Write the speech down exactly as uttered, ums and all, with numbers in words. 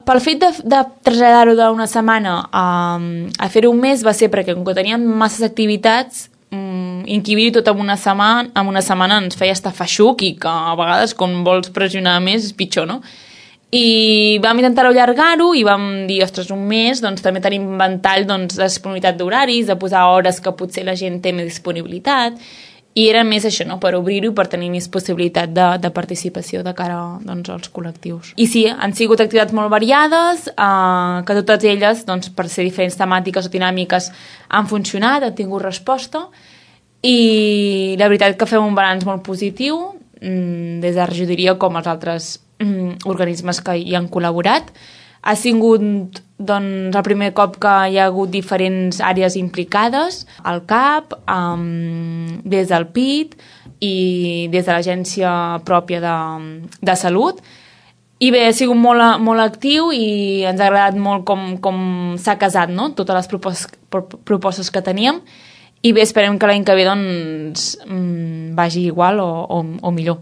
Pel fet de, de traslladar-ho d'una setmana a, a fer-ho un mes va ser perquè com que teníem masses activitats, um, inquibir-ho tot en una setmana, en una setmana ens feia estar feixuc i que a vegades quan vols pressionar més és pitjor, no? I vam intentar allargar-ho i vam dir, ostres, un mes, doncs també tenim ventall doncs, de disponibilitat d'horaris, de posar hores que potser la gent té més disponibilitat, i era més això, no?, per obrir-ho i per tenir més possibilitat de, de participació de cara doncs, als col·lectius. I sí, han sigut activitats molt variades, eh, que totes elles, doncs, per ser diferents temàtiques o dinàmiques, han funcionat, han tingut resposta, i la veritat que fem un balanç molt positiu, des de la regidoria com els altres organismes que hi han col·laborat. Ha sigut doncs, el primer cop que hi ha hagut diferents àrees implicades, el C A P, um, des del P I T i des de l'Agència pròpia de, de Salut. I bé, ha sigut molt, molt actiu i ens ha agradat molt com, com s'ha casat, no?, totes les propostes, propostes que teníem. I bé, esperem que l'any que ve doncs, vagi igual o, o, o millor.